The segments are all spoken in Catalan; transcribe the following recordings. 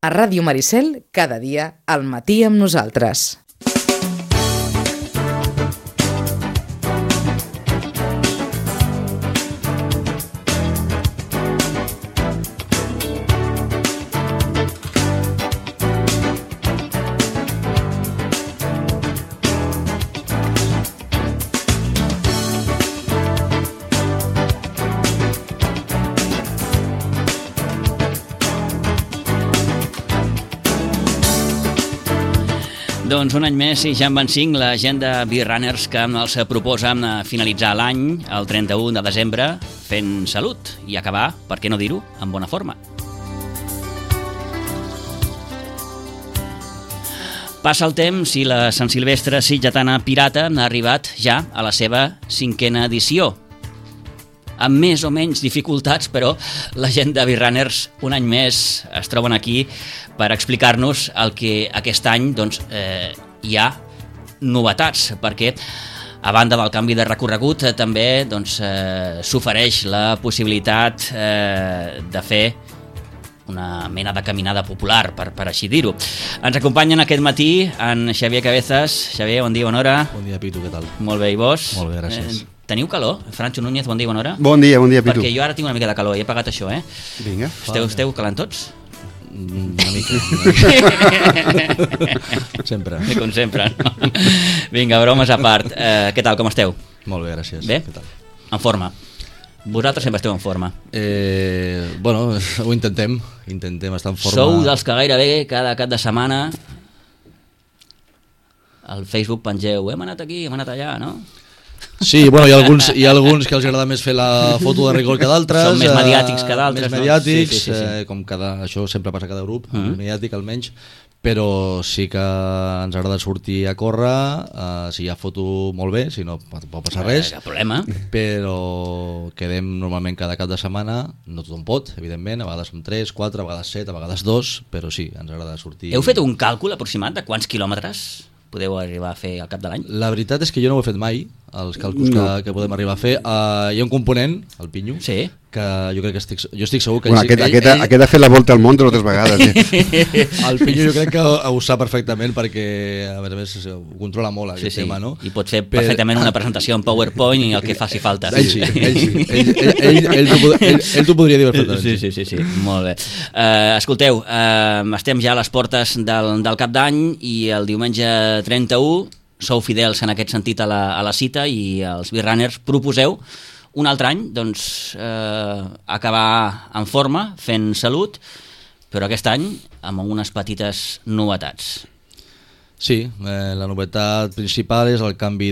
A Ràdio Maricel, cada dia, al matí amb nosaltres. Doncs un any més i ja en van 5 la gent de Beer Runners que els proposa finalitzar l'any el 31 de desembre fent salut i acabar, per què no dir-ho, en bona forma. Passa el temps i la Sant Silvestre Sitgetana Pirata ha arribat ja a la seva 5a edició. Amb més o menys dificultats, però la gent de Beer Runners un any més es troben aquí per explicar-nos el que aquest any doncs, hi ha novetats, perquè a banda del canvi de recorregut també doncs, s'ofereix la possibilitat de fer una mena de caminada popular, per així dir-ho. Ens acompanyen aquest matí en Xavier Cabezas. Xavier, bon dia, bona hora. Bon dia, Pitu, què tal? Molt bé, i vos? Molt bé, gràcies. Teniu calor? Francho Núñez, bon dia, bona hora. Bon dia, Pitu. Perquè jo ara tinc una mica de calor i he pagat això, Vinga. Esteu calant tots? Una mica. Sempre. Com sempre, no? Vinga, bromes a part. Què tal, com esteu? Molt bé, gràcies. Bé? Què tal? En forma. Vosaltres sempre esteu en forma. Bueno, ho intentem estar en forma. Sou dels que gairebé cada cap de setmana al Facebook pengeu, hem anat aquí, hem anat allà, no? Sí, bueno, hi ha alguns que els agrada més fer la foto de rigor que d'altres. Són més mediàtics que d'altres, més mediàtics, no? Sí. Com això sempre passa a cada grup, mediàtic almenys, però sí que ens agrada sortir a córrer, si hi ha foto molt bé, si no pot passar res. Cap problema. Però quedem normalment cada cap de setmana, no tothom pot, evidentment, a vegades som 3, 4, a vegades 7, a vegades 2, però sí, ens agrada sortir. Heu fet un càlcul aproximat de quants quilòmetres podeu arribar a fer al cap de l'any? La veritat és que jo no ho he fet mai, els càlculs que podem arribar a fer. Hi ha un component, el Pinyo, sí, que jo crec que estic segur que... Bueno, aquest ha fet la volta al món 3 vegades. El Pinyo jo crec que ho sap perfectament perquè, a més, ho controla molt aquest tema, no? I pot fer perfectament una presentació en PowerPoint i el que faci falta. Ell sí. Ell t'ho podria dir perfectament. Sí, molt bé. Escolteu, estem ja a les portes del cap d'any i el diumenge 31 sou fidels en aquest sentit a la cita i els Beer Runners proposeu un altre any doncs, acabar en forma, fent salut, però aquest any amb unes petites novetats. Sí, la novetat principal és el canvi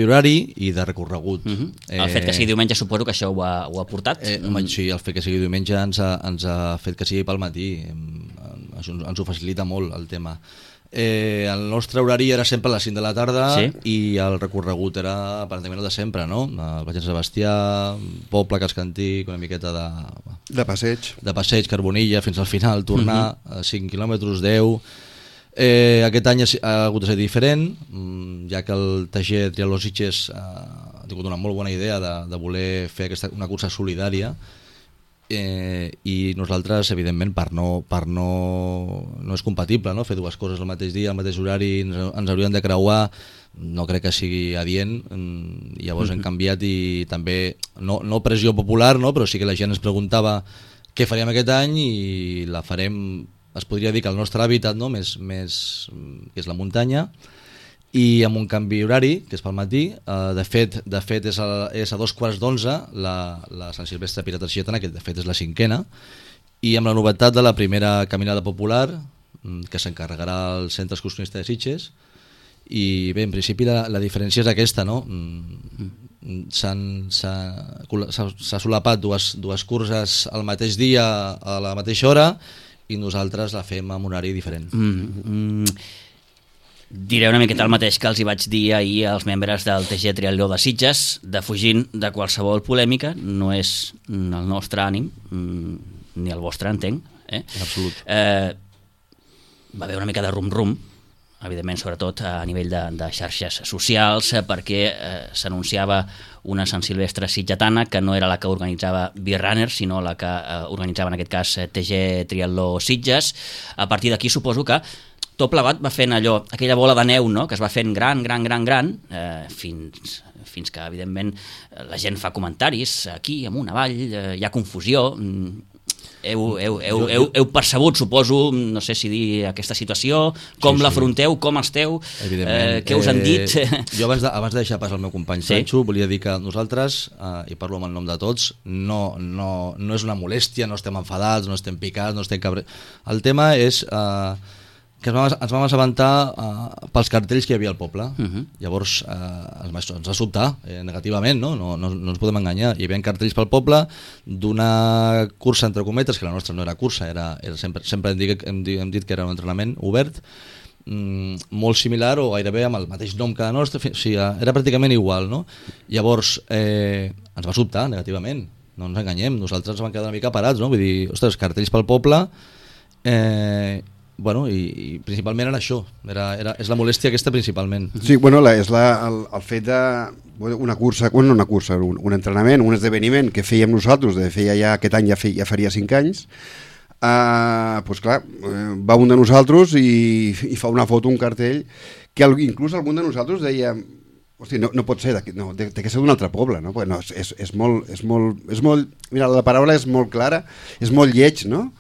horari i de recorregut. El fet que sigui diumenge suposo que això ho ha portat? Sí, el fet que sigui diumenge ens ha fet que sigui pel matí. Això ens ho facilita molt el tema. El nostre horari era sempre a les 5 de la tarda, sí? I el recorregut era aparentment el de sempre, no? El Baix de Sebastià, Poble, Cascantí, una miqueta de passeig, Carbonilla, fins al final, tornar 5 quilòmetres, 10. Aquest any ha hagut de ser diferent, ja que el TG Triatló Sitges ha tingut una molt bona idea de voler fer una cursa solidària, i nosaltres, evidentment, no és compatible, no? Fer dues coses al mateix dia, al mateix horari, ens hauríem de creuar, no crec que sigui adient. Llavors hem canviat i també, no pressió popular, no? Però sí que la gent ens preguntava què faríem aquest any i la farem, es podria dir que el nostre hàbitat, no? més que és la muntanya, i amb un canvi horari, que és pel matí. De fet és a 11:15 la Sant Silvestre Pirata Sitgetana, que de fet és la 5a, i amb la novetat de la primera caminada popular, que s'encarregarà al Centre Excursionista de Sitges. I bé, en principi la diferència és aquesta, no? S'ha solapat dues curses al mateix dia a la mateixa hora i nosaltres la fem amb un horari diferent. Diré una miqueta el mateix que els hi vaig dir ahir als membres del TG Triatló de Sitges, defugint de qualsevol polèmica. No és el nostre ànim, ni el vostre, entenc. En absolut. Va haver una mica de rum-rum evidentment, sobretot a nivell de xarxes socials, perquè s'anunciava una Sant Silvestre sitgetana que no era la que organitzava Beer Runner, sinó la que organitzava en aquest cas TG Triatló Sitges. A partir d'aquí suposo que tot plegat va fent allò, aquella bola de neu, no?, que es va fent gran, fins que, evidentment, la gent fa comentaris aquí, amunt, avall, hi ha confusió. Heu percebut, suposo, no sé si dir aquesta situació, com l'afronteu, com esteu, què us han dit? Jo abans de deixar pas al meu company Sancho, volia dir que nosaltres, i parlo en el nom de tots, no és una molèstia, no estem enfadats, no estem picats, no estem cabrets. El tema és que ens vam assabentar pels cartells que hi havia al poble. Llavors ens va sobtar negativament, no ens podem enganyar. Hi havia cartells pel poble d'una cursa entre cometes, que la nostra no era cursa, sempre hem dit que era un entrenament obert, molt similar o gairebé amb el mateix nom que la nostra, o sigui, era pràcticament igual, no? Llavors ens va sobtar negativament, no ens enganyem, nosaltres ens vam quedar una mica parats, no? Vull dir, ostres, cartells pel poble, bueno, i principalment era això, és la molèstia aquesta principalment. Sí, bueno, és el fet de una cursa, un entrenament, un esdeveniment que fèiem nosaltres, aquest any ja faria 5 anys, doncs clar, va un de nosaltres i fa una foto, un cartell, que inclús algun de nosaltres deia, hosti, no pot ser, té que ser d'un altre poble, no? No, és molt, mira, la paraula és molt clara, és molt lleig, no?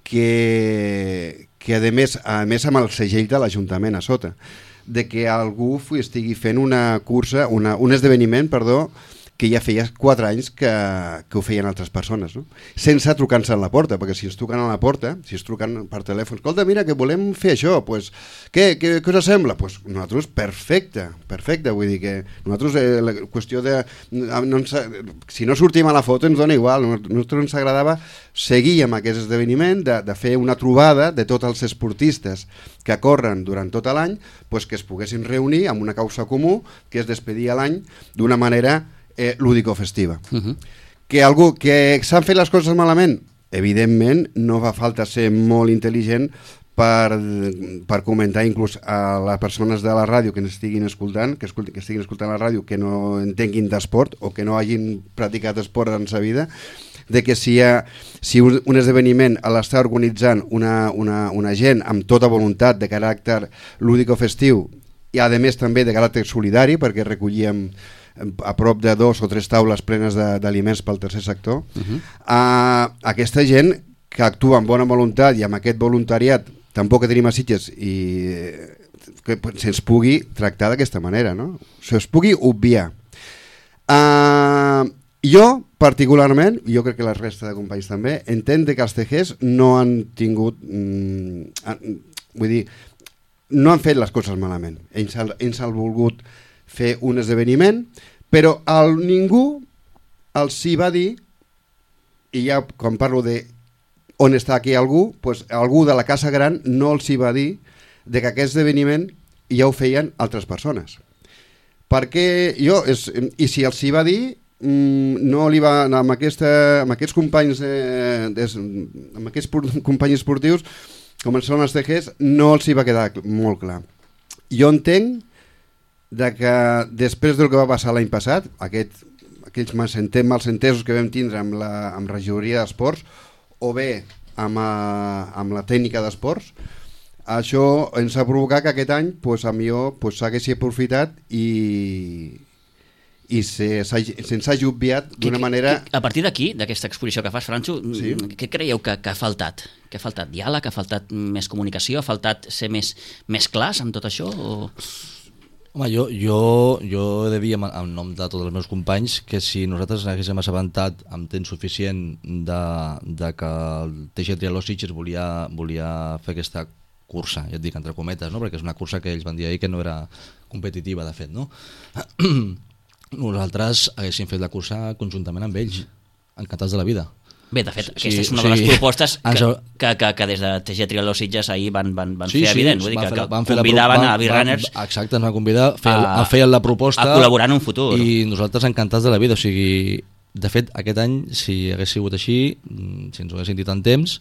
Que a més amb el segell de l'Ajuntament a sota, de que algú estigui fent una cursa, un esdeveniment, que ja feia 4 anys que ho feien altres persones, no? Sense trucar-se a la porta, perquè si ens truquen a la porta, si es truquen per telèfon, escolta, mira, que volem fer això, pues, què us sembla? Pues nosaltres, perfecte, vull dir que nosaltres, la qüestió de... si no sortim a la foto ens dona igual, a nosaltres ens agradava seguir amb aquest esdeveniment, de fer una trobada de tots els esportistes que corren durant tot l'any, pues que es poguessin reunir amb una causa comú, que és despedir l'any d'una manera lúdico-festiva. Que s'han fet les coses malament? Evidentment, no fa falta ser molt intel·ligent per comentar inclús a les persones de la ràdio que estiguin escoltant, que estiguin escoltant la ràdio, que no entenguin d'esport o que no hagin practicat esport en sa vida, de que si un esdeveniment l'està organitzant una gent amb tota voluntat de caràcter lúdico-festiu i a més també de caràcter solidari, perquè recollíem a prop de 2 o 3 taules plenes d'aliments pel tercer sector, aquesta gent que actua amb bona voluntat i amb aquest voluntariat tampoc que tenim a Sitges i que se'ns pugui tractar d'aquesta manera, no? Se'ns pugui obviar. Jo particularment, jo crec que la resta de companys també, entenc que els TGs no han tingut, vull dir, no han fet les coses malament. Ells han volgut fer un esdeveniment, però ningú els hi va dir, i ja quan parlo de on està aquí algú, doncs algú de la casa gran no els hi va dir de que aquest esdeveniment ja ho feien altres persones. Perquè i si els hi va dir, no li va amb aquests companys amb aquests companys esportius com són els TGs, no els hi va quedar molt clar. Jo entenc de que després del que va passar l'any passat, aquells malsentesos que vam tindre amb la regidoria d'esports o bé amb la tècnica d'esports, això ens ha provocat que aquest any s'haguessi aprofitat i se'ns hagi obviat d'una manera... A partir d'aquí, d'aquesta exposició que fas, Franxo, sí? Què creieu que ha faltat? Que ha faltat diàleg, ha faltat més comunicació, ha faltat ser més clars amb tot això? O... Home, jo he de dir en nom de tots els meus companys que si nosaltres haguéssim assabentat amb temps suficient de que el TG Triatló Sitges volia fer aquesta cursa, ja et dic entre cometes, no? Perquè és una cursa que ells van dir ahir que no era competitiva, de fet, no? Nosaltres haguéssim fet la cursa conjuntament amb ells, encantats de la vida. Bé, de fet, aquesta és una de les propostes que des de TG Triatló Sitges ahir van fer evident, vull dir que convidaven a Beer Runners. Exacte, ens van convidar a fer la proposta a col·laborar en un futur. I nosaltres encantats de la vida, o sigui, de fet, aquest any, si hagués sigut així, si ens ho haguessin dit en temps,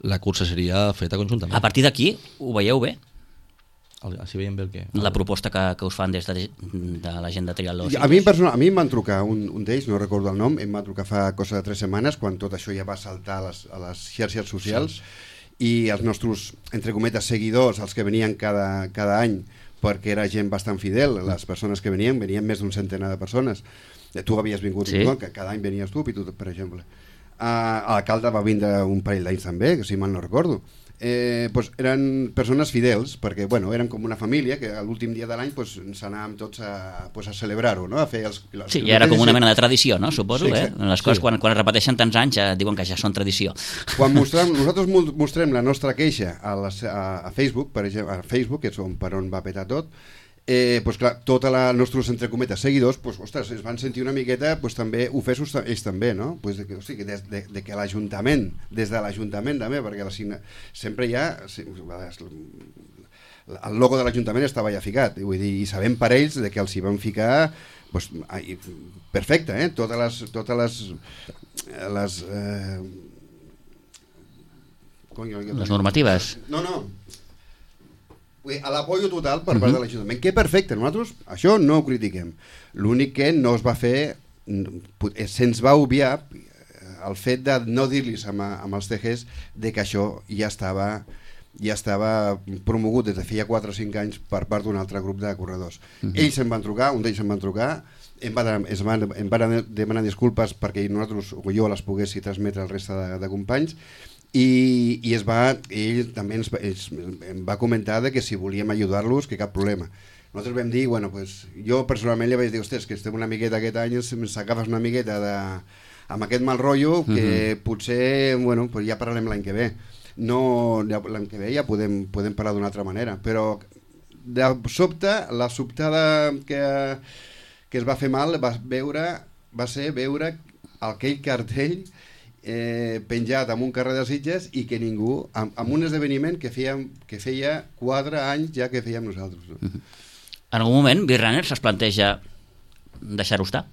la cursa seria feta conjuntament. A partir d'aquí, ho veieu bé? Si veiem bé el què. La proposta que us fan des de la gent de Triatló. A mi em van trucar, un d'ells, no recordo el nom, em va trucar fa cosa de 3 setmanes, quan tot això ja va saltar a les xarxes socials, i els nostres, entre cometes, seguidors, els que venien cada any, perquè era gent bastant fidel, les persones que venien més d'un centenar de persones. Tu havies vingut, no? Que cada any venies tu, per exemple. L'alcalde va vindre un parell d'anys també, que si mal no recordo. Pues eren persones fidels, perquè eren com una família que l'últim dia de l'any ens anàvem tots a celebrar-ho, no? A fer sí, ja era com una mena de tradició, no? Suposo, sí, les coses quan es repeteixen tants anys ja diuen que ja són tradició. Quan nosaltres mostrem la nostra queixa a Facebook, per exemple, a Facebook, que és per on va petar tot, pues clar, tots els nostres, entre cometes, seguidors, pues, ostres, es van sentir una miqueta també ofesos ells també, no? Pues de que l'Ajuntament, des de l'Ajuntament també, perquè sempre hi ha el logo de l'Ajuntament estava ja ficat, vull dir, i sabem per ells que els hi van ficar pues, perfecte, totes les normatives. No, a l'apoyo total per part de l'Ajuntament, que perfecte, nosaltres això no ho critiquem. L'únic que no es va fer, se'ns va obviar el fet de no dir-los amb els TGs de que això ja estava promogut des de feia 4 o 5 anys per part d'un altre grup de corredors. Ells em van trucar, un d'ells em van trucar, em van demanar disculpes perquè nosaltres o jo les poguessi transmetre al reste de companys, i ell també em va comentar que si volíem ajudar-los que cap problema. Nosaltres vam dir, jo personalment li vaig dir, ostres, que estem una miqueta aquest any, ens agafes una miqueta amb aquest mal rotllo, que potser ja parlarem l'any que ve. L'any que ve ja podem parlar d'una altra manera, però de sobte, la sobtada que es va fer mal va ser veure aquell cartell penjat en un carrer de Sitges i que ningú, amb un esdeveniment que feia 4 anys ja que fèiem nosaltres. No? En algun moment Virrunners es planteja deixar-ho estar?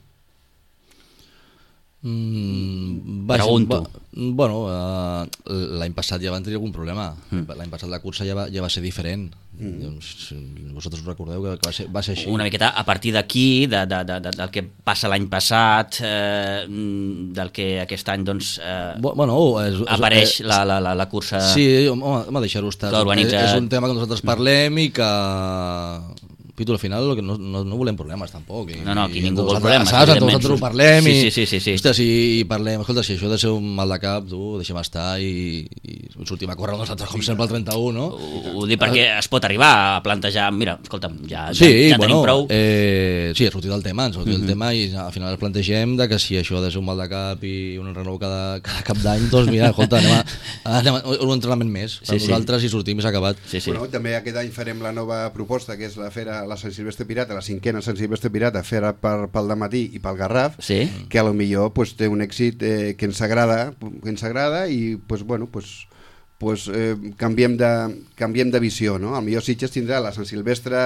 Pregunto. L'any passat ja van tenir algun problema. L'any passat la cursa ja va ser diferent. Vosaltres recordeu que va ser així. Una miqueta a partir d'aquí, del que passa l'any passat, del que aquest any apareix la cursa. Sí, home, deixar-ho estar. És un tema que nosaltres parlem i que... Pitu, al final no volem problemes tampoc. No, aquí ningú vol problemes. Nosaltres ho parlem i ostres, i parlem, escolta, si això ha de ser un mal de cap, tu deixem estar i sortim a córrer nosaltres com sempre al 31, no? Ho dic perquè es pot arribar a plantejar, mira, escolta'm, ja tenim prou. Sí, ha sortit el tema, i al final ens plantegem que si això ha de ser un mal de cap i un renou cada cap d'any, doncs mira, escolta, anem a un entrenament més per nosaltres i sortim i s'ha acabat. També aquest any farem la nova proposta, que és la fera la Sant Silvestre Pirata, la 5a Sant Silvestre Pirata, fera pel dematí i pel Garraf, que a lo millor té un èxit que ens agrada i canviem de visió, no? Al millor Sitges tindrà la Sant Silvestre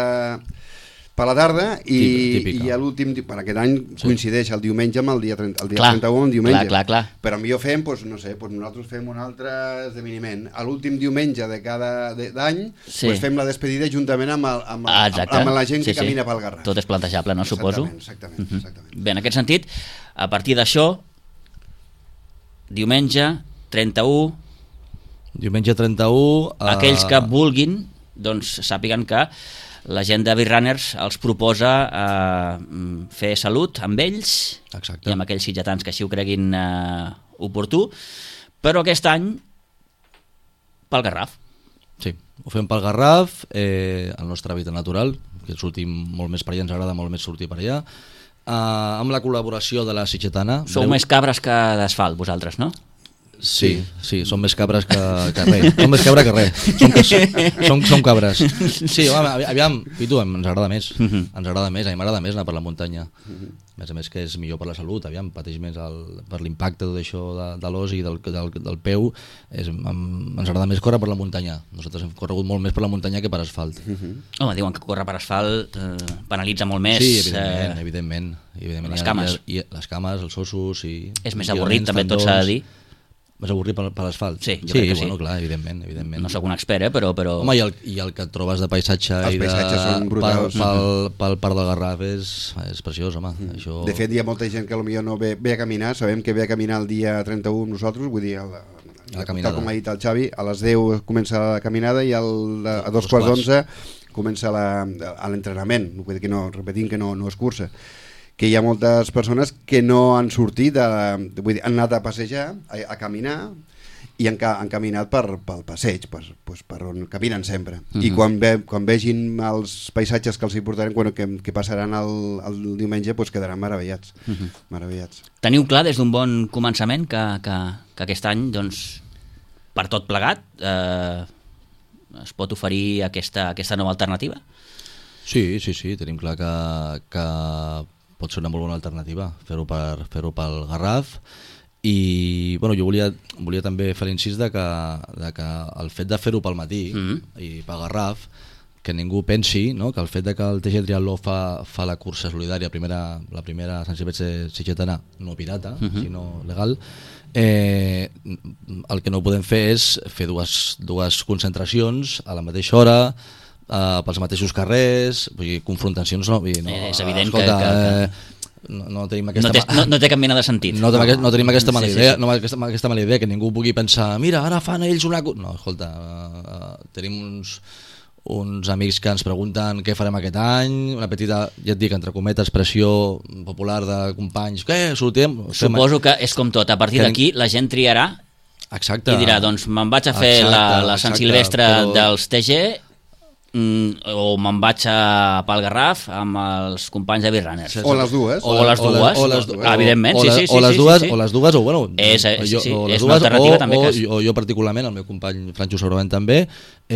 per la tarda i l'últim, per aquest any coincideix el diumenge amb el dia 31, diumenge. Clar. Però millor fem, nosaltres fem un altre esdeveniment. A l'últim diumenge de cada any fem la despedida juntament amb la gent que camina pel Garraf. Tot és plantejable, no? Suposo. Exactament. Bé, en aquest sentit, a partir d'això, diumenge 31... Diumenge 31... Aquells que vulguin, doncs sàpiguen que la gent de Virrunners els proposa fer salut amb ells. Exacte. I amb aquells sitgetans que així ho creguin oportú, però aquest any pel Garraf. Sí, ho fem pel Garraf, el nostre hàbitat natural, que sortim molt més per allà, ens agrada molt més sortir per allà, amb la col·laboració de la sitgetana. Sou més cabres que d'asfalt, vosaltres, no? Sí, som més cabres que res. Som més cabra que res. Som cabres. Sí, aviam, Pitu, ens agrada més. Ens agrada més, a mi m'agrada més anar per la muntanya. A més que és millor per la salut, aviam, pateix més per l'impacte tot això de l'os i del peu. Ens agrada més córrer per la muntanya. Nosaltres hem corregut molt més per la muntanya que per asfalt. Home, diuen que córrer per asfalt penalitza molt més. Sí, evidentment. Les cames. Les cames, els ossos... És més avorrit, també tot s'ha de dir. Vas avorrir per l'asfalt? Sí, jo crec que sí. Bueno, clar, evidentment. No sóc un expert, però... Home, i el que et trobes de paisatge Els paisatges són brutals. pel Parc del Garraf és preciós, home. Això... De fet, hi ha molta gent que potser no ve a caminar, sabem que ve a caminar el dia 31 amb nosaltres, vull dir, tal com ha dit el Xavi, a les 10 comença la caminada i a 2:15 comença l'entrenament, vull dir que no, repetint que no és cursa, que hi ha moltes persones que no han sortit, vull dir, han anat a passejar, a caminar, i han caminat pel passeig, per on caminen sempre. I quan vegin els paisatges que els hi portarem, que passaran el diumenge, quedaran meravellats. Meravellats. Teniu clar des d'un bon començament que aquest any, doncs, per tot plegat, es pot oferir aquesta nova alternativa? Sí, tenim clar que pot ser una molt bona alternativa fer-ho pel Garraf. I bueno, jo volia també fer l'incís de que el fet de fer-ho pel matí i pel Garraf, que ningú pensi, no, que el fet de que el TG Triatló fa la cursa solidària, la primera Sant Silvestre sitgetana, no pirata, sinó legal, el que no podem fer és fer dues concentracions a la mateixa hora, pels mateixos carrers, vull dir, confrontacions no, és evident, escolta, que no tenim aquesta no té cap mena de sentit. No tenim aquesta mala idea, no aquesta mala idea que ningú pugui pensar, mira, ara fan ells una... No, escolta, tenim uns amics que ens pregunten què farem aquest any, una petita, ja et dic, entre cometes, pressió popular de companys, què, sortim? Suposo que és com tot, a partir d'aquí la gent triarà. Exacte. I dirà, doncs me'n vaig a fer la Sant Silvestre dels TG o me'n vaig a pel Garraf amb els companys de Beachrunners. O les dues. Evidentment, sí. O les dues, o bueno... És una alternativa també. O jo particularment, el meu company Franxo segurament també,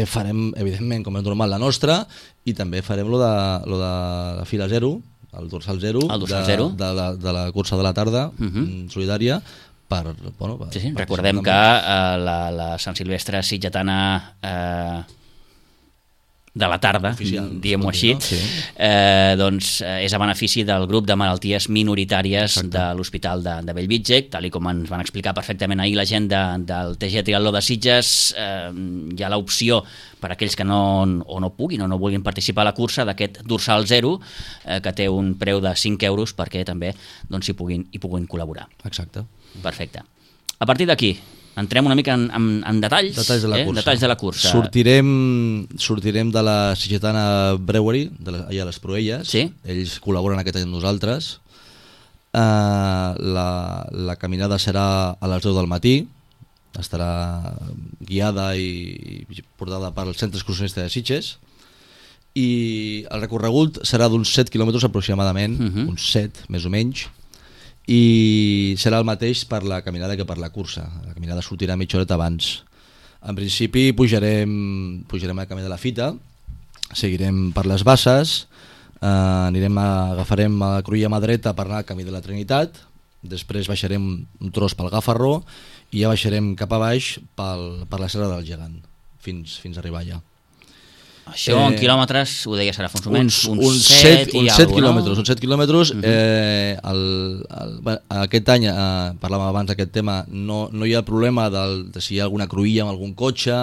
farem, evidentment, com és normal, la nostra, i també farem lo de la fila zero, el dorsal zero, de la cursa de la tarda, solidària, recordem que la Sant Silvestre sitgetana de la tarda, diguem-ho així, doncs és a benefici del grup de malalties minoritàries de l'Hospital de Bellvitge, tal com ens van explicar perfectament ahir la gent del TG Triatló de Sitges. Hi ha l'opció per a aquells que no puguin o no vulguin participar a la cursa d'aquest dorsal zero, que té un preu de 5 euros perquè també hi puguin col·laborar. Exacte. Perfecte. A partir d'aquí, entrem una mica en detalls de la cursa. Sortirem de la Sitgetana Brewery, allà a les Proelles. Sí. Ells col·laboren aquest any amb nosaltres. La caminada serà a les 10 del matí. Estarà guiada i portada pel Centre Excursionista de Sitges. I el recorregut serà d'uns 7 quilòmetres aproximadament, uns 7 més o menys, i serà el mateix per la caminada que per la cursa. La caminada sortirà mitja horeta abans. En principi pujarem al camí de la Fita, seguirem per les Basses, agafarem a Cruïlla mà dreta per anar al camí de la Trinitat, després baixarem un tros pel Gafarró i ja baixarem cap a baix per la Serra del Gegant fins a arribar allà. Això en quilòmetres, ho deia Serà Fonsumens, uns 7 quilòmetres. Uns 7 quilòmetres. Aquest any, parlàvem abans d'aquest tema, no hi ha problema de si hi ha alguna cruïlla amb algun cotxe.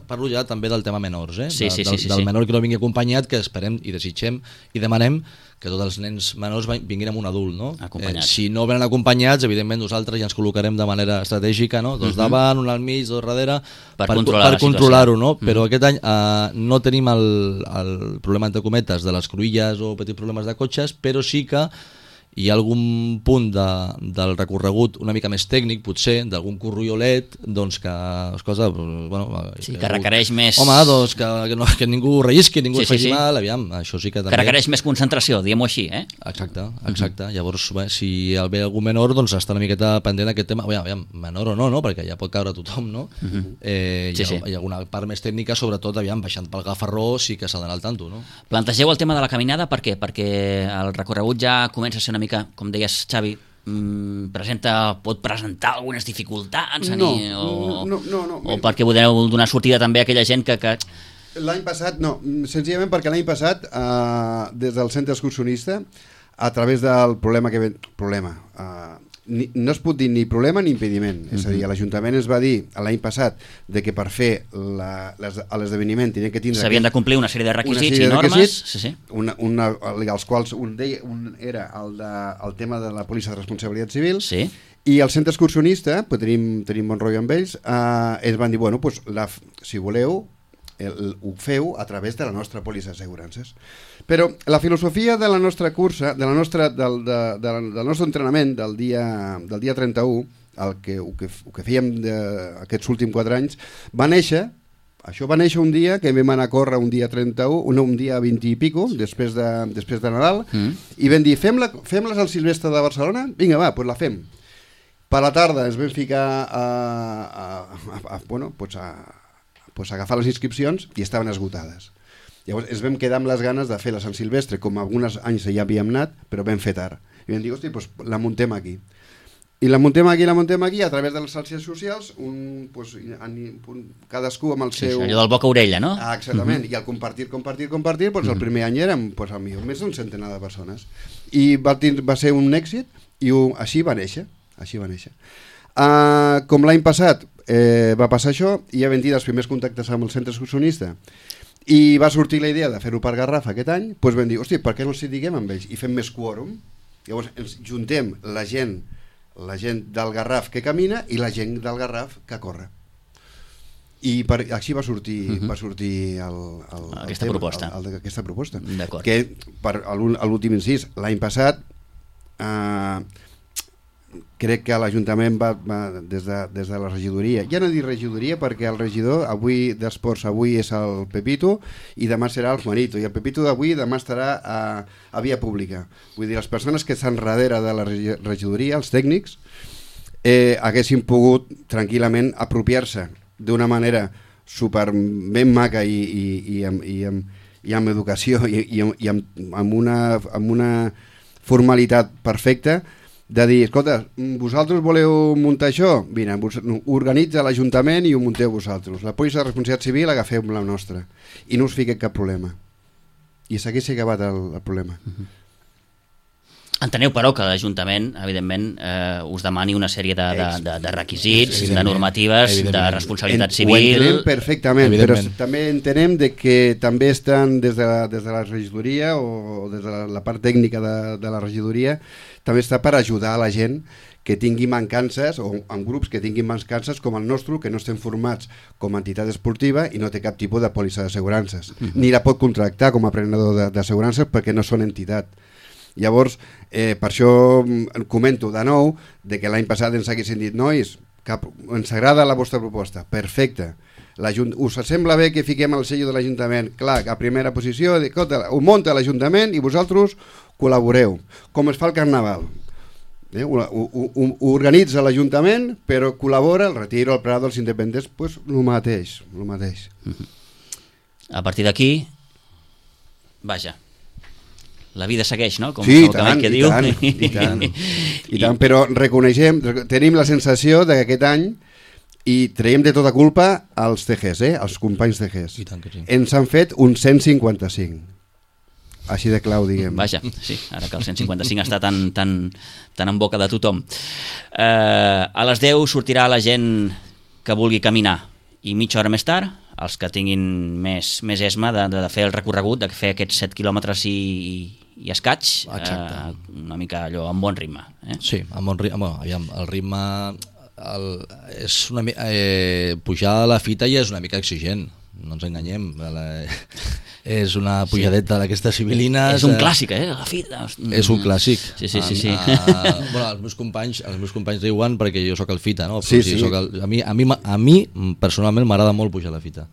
Parlo ja també del tema menors, del menor que no vingui acompanyat, que esperem i desitgem i demanem que tots els nens menors vinguin amb un adult, no? Si no venen acompanyats, evidentment nosaltres ja ens col·locarem de manera estratègica, no? Dos davant, un al mig, dos darrere, per controlar-ho, no? Però aquest any no tenim el problema, entre cometes, de les cruïlles o petits problemes de cotxes, però sí que hi ha algun punt del recorregut una mica més tècnic, potser, d'algun corriolet, doncs que, escolta, que requereix més... Home, doncs que ningú rellisqui, ningú es faci mal, aviam, això sí que també... Que requereix més concentració, diguem-ho així, eh? Exacte. Llavors, si ve algú menor, doncs està una miqueta pendent d'aquest tema, aviam, menor o no, perquè ja pot caure tothom, no? Hi ha alguna part més tècnica, sobretot, aviam, baixant pel Gafarró, sí que s'ha d'anar al tanto, no? Plantegeu el tema de la caminada, per què? Perquè el recorregut ja comença a ser una mica, com deies, Xavi, pot presentar algunes dificultats o perquè podeu donar sortida també a aquella gent que... L'any passat, no, senzillament perquè l'any passat des del centre excursionista, a través del no es pot dir ni problema ni impediment. És a dir, l'Ajuntament ens va dir l'any passat de que per fer l'esdeveniment tenien que tindre... S'havien de complir una sèrie de requisits i normes. Sí. Els quals un era el tema de la pòlissa de responsabilitat civil, sí. I el centre excursionista, pues tenim bon rotllo amb ells, ens van dir, bueno, pues, si voleu, ho feu a través de la nostra pòlissa d'assegurances. Però la filosofia de la nostra cursa, del nostre entrenament del dia 31, el que fèiem aquests últims 4 anys, va néixer un dia que vam anar a córrer un dia 31, un dia 20 i pico, després de Nadal, i vam dir, fem-les al Silvestre de Barcelona? Vinga, va, doncs la fem. Per la tarda ens vam ficar a agafar les inscripcions i estaven esgotades. Llavors ens vam quedar amb les ganes de fer la Sant Silvestre, com alguns anys ja havíem anat, però vam fer tard. I vam dir, hosti, doncs la muntem aquí. I la muntem aquí, a través de les xarxes socials, cadascú amb el seu... Allò del boca a orella, no? Exactament, i al compartir, doncs el primer any érem més d'un centenar de persones. I va ser un èxit i així va néixer. Com l'any passat va passar això, i ja vam dir els primers contactes amb el centre excursionista i va sortir la idea de fer-ho per Garraf aquest any, doncs vam dir, hosti, per què no els diguem amb ells i fem més quòrum? Llavors ens juntem la gent del Garraf que camina i la gent del Garraf que corre. I així va sortir aquesta proposta. D'acord. Que a l'últim incís, l'any passat crec que l'Ajuntament va des de la regidoria, ja no dic regidoria perquè el regidor d'esports avui és el Pepito i demà serà el Juanito, i el Pepito d'avui demà estarà a via pública. Vull dir, les persones que estan darrere de la regidoria, els tècnics, haguessin pogut tranquil·lament apropiar-se d'una manera super ben maca i amb educació i amb una formalitat perfecta de dir, escolta, vosaltres voleu muntar això? Mira, organitza l'Ajuntament i ho munteu vosaltres. La pòlissa de responsabilitat civil agafeu la nostra i no us fiqueu cap problema. I s'hagués acabat el problema. Enteneu, però, que l'Ajuntament, evidentment, us demani una sèrie de requisits, de normatives, de responsabilitat civil... Ho entenem perfectament, però també entenem que també estan des de la regidoria o des de la part tècnica de la regidoria, també està per ajudar a la gent que tingui mancances, o en grups que tinguin mancances com el nostre, que no estem formats com a entitat esportiva i no té cap tipus de pòlissa d'assegurances. Ni la pot contractar com a prenedor d'assegurances perquè no són entitat. Llavors, per això comento de nou que l'any passat ens haguessin dit, nois, ens agrada la vostra proposta, perfecte, us sembla bé que fiquem el sello de l'Ajuntament? Clar, a primera posició, ho munta l'Ajuntament i vosaltres col·laboreu, com es fa el Carnaval. Ho organitza l'Ajuntament, però col·labora el Retiro, el Prado, els independents, doncs el mateix. A partir d'aquí, vaja, la vida segueix, no? Com sí, el cavall que diu. I tant, però reconeixem, tenim la sensació que aquest any i traiem de tota culpa als TGs, als companys TGs. I tant que sí. Ens han fet un 155. Així de clau, diguem. Vaja, sí, ara que el 155 està tan en boca de tothom. A les 10 sortirà la gent que vulgui caminar i mitja hora més tard, els que tinguin més esma de fer el recorregut, de fer aquests 7 quilòmetres i escaig, una mica allò amb bon ritme. Sí, amb bon ritme. El ritme és una pujar a la fita ja és una mica exigent, no ens enganyem. És una pujadeta d'aquestes sibilines. És un clàssic, la fita. És un clàssic. Sí. Els meus companys riuen perquè jo sóc el fita, no? Sí. A mi personalment m'agrada molt pujar a la fita.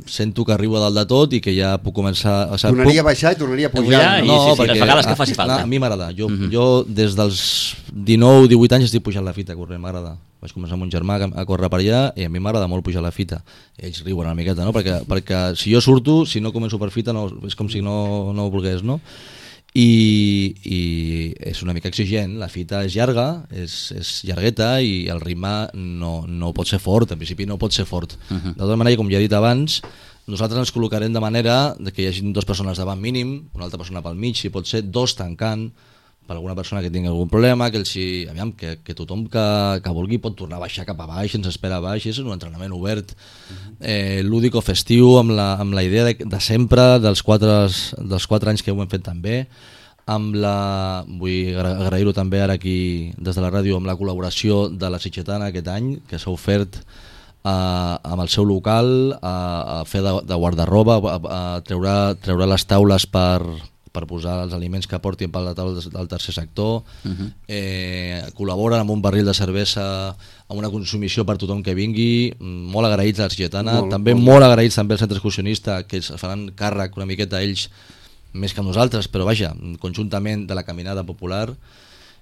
Sento que arribo a dalt de tot i que ja puc començar... Tornaria a baixar i tornaria a pujar. Les vegades que faci falta. A mi m'agrada. Jo des dels 19-18 anys estic pujant la fita corrent, m'agrada. Vaig començar amb un germà a córrer per allà i a mi m'agrada molt pujar la fita. Ells riuen una miqueta, no? Perquè si jo surto, si no començo per fita, és com si no ho volgués, no? I és una mica exigent, la fita és llarga, és llargueta i el ritme no pot ser fort, en principi no pot ser fort. De tota manera, com ja he dit abans, nosaltres ens col·locarem de manera que hi hagi 2 persones davant mínim, una altra persona pel mig, si pot ser 2 tancant, per alguna persona que tingui algun problema, que tothom que vulgui pot tornar a baixar cap a baix, ens espera a baix, és un entrenament obert, lúdic o festiu, amb la idea de sempre, dels 4 anys que ho hem fet també, vull agrair-ho també ara aquí des de la ràdio, amb la col·laboració de la Sitgetana aquest any, que s'ha ofert amb el seu local a fer de guardarroba, a treure les taules per posar els aliments que portin per la taula del tercer sector, col·laboren amb un barril de cervesa, amb una consumició per tothom que vingui, molt agraïts a la Sitgetana, també molt agraïts també al centre excursionista, que es faran càrrec una miqueta ells més que nosaltres, però vaja, conjuntament de la caminada popular.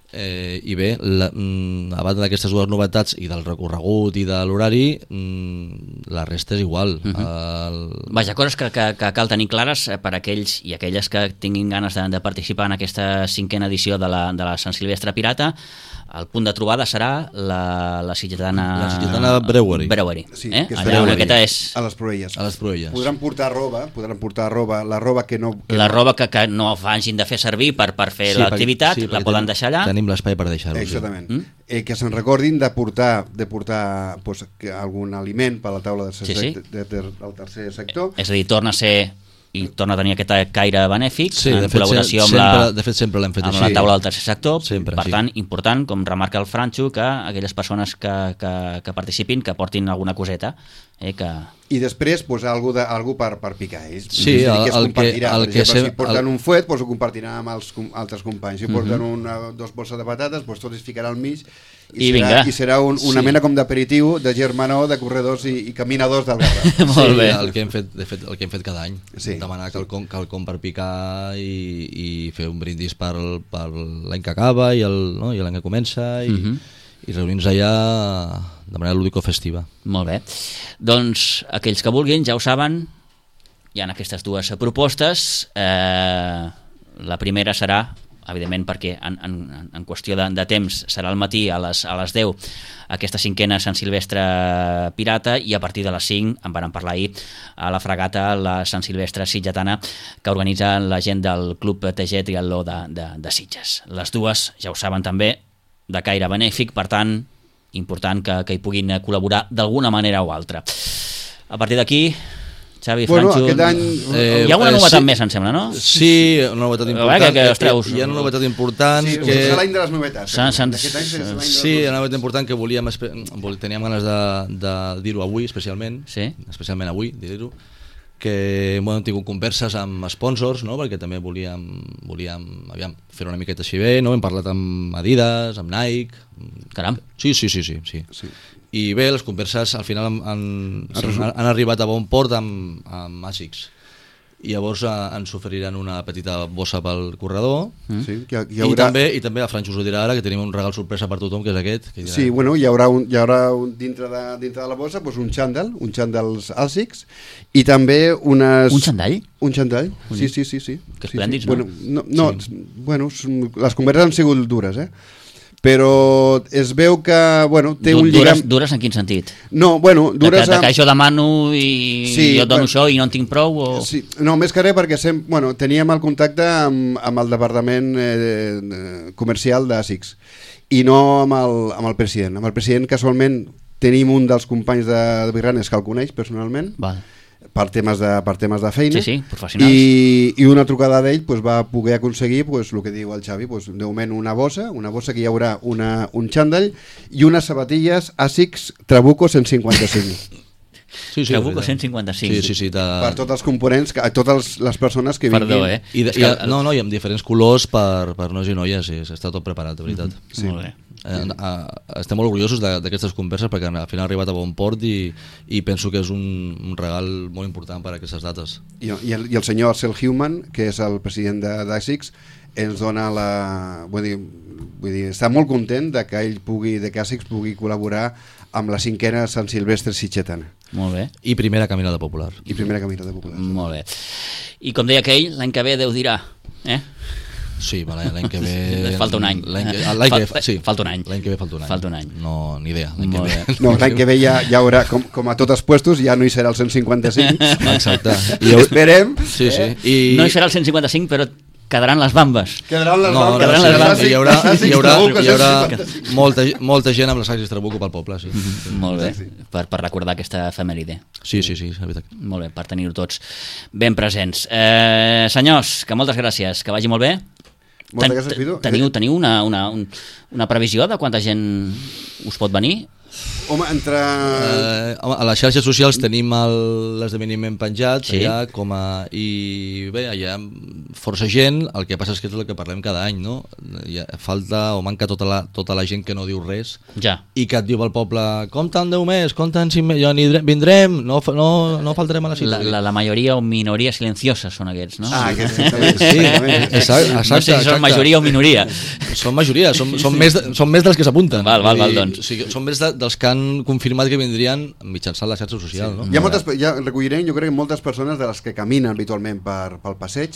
I bé, a banda d'aquestes dues novetats i del recorregut i de l'horari, la resta és igual. Vaja, coses que cal tenir clares per aquells i aquelles que tinguin ganes de participar en aquesta 5a edició de la Sant Silvestre Pirata. El punt de trobada serà la Sitgetana Brewery. Sí, allà on aquesta és a les Proelles. Podran portar roba, la roba que no... La roba que no hagin de fer servir per fer l'activitat, la poden deixar allà. Tenim l'espai per deixar-ho. Exactament. Que se'n recordin de portar pues, algun aliment per a la taula del tercer sector. És a dir, torna a ser i torna a tenir aquest caire benèfic, en col·laboració amb la taula del tercer sector. Per tant, important, com remarca el Franxo, que aquelles persones que participin, que portin alguna coseta. I després, algú per picar ells. Sí, si porten un fuet, ho compartiran amb els altres companys. Si porten dos bolses de patates, tot es ficarà al mig i serà una mena com d'aperitiu de germanor, de corredors i caminadors del Garraf. Molt bé. El que hem fet cada any. Demanar quelcom per picar i fer un brindis per l'any que acaba i l'any que comença i reunir-nos allà de manera lúdico-festiva. Molt bé. Doncs aquells que vulguin, ja ho saben, hi ha aquestes dues propostes. La primera serà, evidentment, perquè en qüestió de temps serà al matí a les 10 aquesta 5a Sant Silvestre Pirata, i a partir de les 5 en vàrem parlar ahir a la fregata la Sant Silvestre Sitgetana, que organitza la gent del Club TG Triatló de Sitges. Les dues, ja ho saben també, de caire benèfic, per tant, important que hi puguin col·laborar d'alguna manera o altra. A partir d'aquí, Xavi, Franxo... Aquest any... Hi ha una novetat més, em sembla, no? Sí, una novetat important. Hi ha una novetat important... Sí, és l'any de les novetats. Sí, una novetat important que teníem ganes de dir-ho avui, especialment avui, dir-ho, que hem tingut converses amb sponsors, perquè també volíem fer una miqueta així bé, hem parlat amb Adidas, amb Nike... Caram! Sí. I bé, les converses al final han arribat a bon port amb ASICS. I llavors ens oferiran una petita bossa pel corredor. I també a Franxo us ho dirà ara, que tenim un regal sorpresa per tothom, que és aquest. Sí, hi haurà dintre de la bossa un xandall ASICS, i també unes... Un xandall? Un xandall, sí. Que esplèndids, no? Les converses han sigut dures, però es veu que té un lligam... Dures en quin sentit? No, dures... Que jo demano i jo et dono això i no en tinc prou? Sí, no, més que res perquè teníem el contacte amb el departament comercial d'ASICS i no amb el president. Amb el president casualment tenim un dels companys de Birranes que el coneix personalment. Val. Per temes de feina. Sí, professionals. I una trucada d'ell va poder aconseguir el que diu el Xavi, de moment una bossa que hi haurà un xandall i unes sabatilles ASICS Trabuco 155. Trabuco 155. Sí. Per tots els components, a totes les persones que vinguin. Perdó, I amb diferents colors per nois i noies, està tot preparat, de veritat. Sí. Molt bé. Estem molt orgullosos d'aquestes converses perquè al final ha arribat a bon port i penso que és un regal molt important per a aquestes dates. I el senyor Arcel Human, que és el president d'ASICS, ens dona vull dir, està molt content de que ASICS pugui col·laborar amb la 5a Sant Silvestre Sitgetana. Molt bé. I primera caminada popular. Molt bé. I com deia aquell, l'any que ve Déu dirà, Sí, l'any que ve... Falta un any. Falta un any. L'any que ve falta un any. No, ni idea. L'any que ve ja haurà, com a tots els puestos, ja no hi serà el 155. Exacte. Esperem. Sí. No hi serà el 155, però quedaran les bambes. Quedaran les No, bambes. quedaran les bambes. hi haurà Sí. molta gent amb les sacs Trabuco pel poble, sí. Molt bé, per recordar aquesta efemèride. Sí, és veritat. Molt bé, per tenir-ho tots ben presents. Senyors, que moltes gràcies, que vagi molt bé. Moltes gràcies, Pitu. Teniu una previsió de quanta gent us pot venir? Home, entre... A les xarxes socials tenim l'esdeveniment penjat, Sí. allà i bé, allà força gent, el que passa és que és el que parlem cada any, no? Falta o manca tota la gent que no diu res Ja. i que et diu al poble, compta en 10 més, compta en 5 més, jo vindrem, no faltarem a la cita. La majoria o minoria silenciosa són aquests, no? Ah, aquest, exactament. Sí, exactament. exacte. No sé si són majoria o minoria. Són majoria, són més dels que s'apunten. Val, doncs. O sigui, són més dels que han confirmat que vindrien mitjançant la xarxa social, no? Ja recollirem, jo crec que moltes persones de les que caminen habitualment pel passeig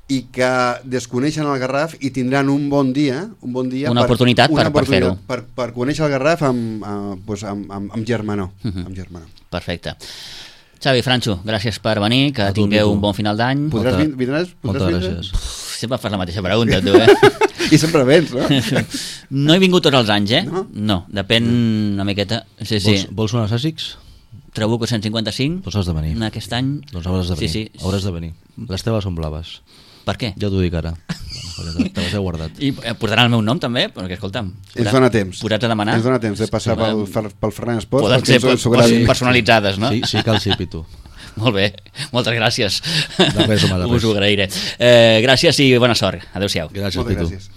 i que desconeixen el Garraf i tindran un bon dia Una oportunitat per fer-ho. Per conèixer el Garraf amb germanor. Amb germanor. Perfecte. Xavi, Franxo, gràcies per venir, que tingueu un bon final d'any. Vindràs? Moltes gràcies. Sempre fas la mateixa pregunta, tu, eh? I sempre vens, no? No he vingut tots els anys, eh? No? No, depèn una miqueta. Sí. Vols unes àssics? Trabuco 155. Doncs has de venir. Aquest any. Doncs hauràs de venir. Sí. Hauràs de venir. Les teves són blaves. Per què? Ja t'ho dic ara. Te les he guardat. I portaran el meu nom també? Perquè, escolta'm, Ens dona temps. posats a demanar. Ens dona temps de passar pel Ferran Esports. Poden ser personalitzades, no? Sí, cal sí, Pitu. Molt bé, moltes gràcies. De res, home, de res. Us ho agrairé. Gràcies i bona sort. Adéu-siau. Gràcies, Moltes Pitu. gràcies.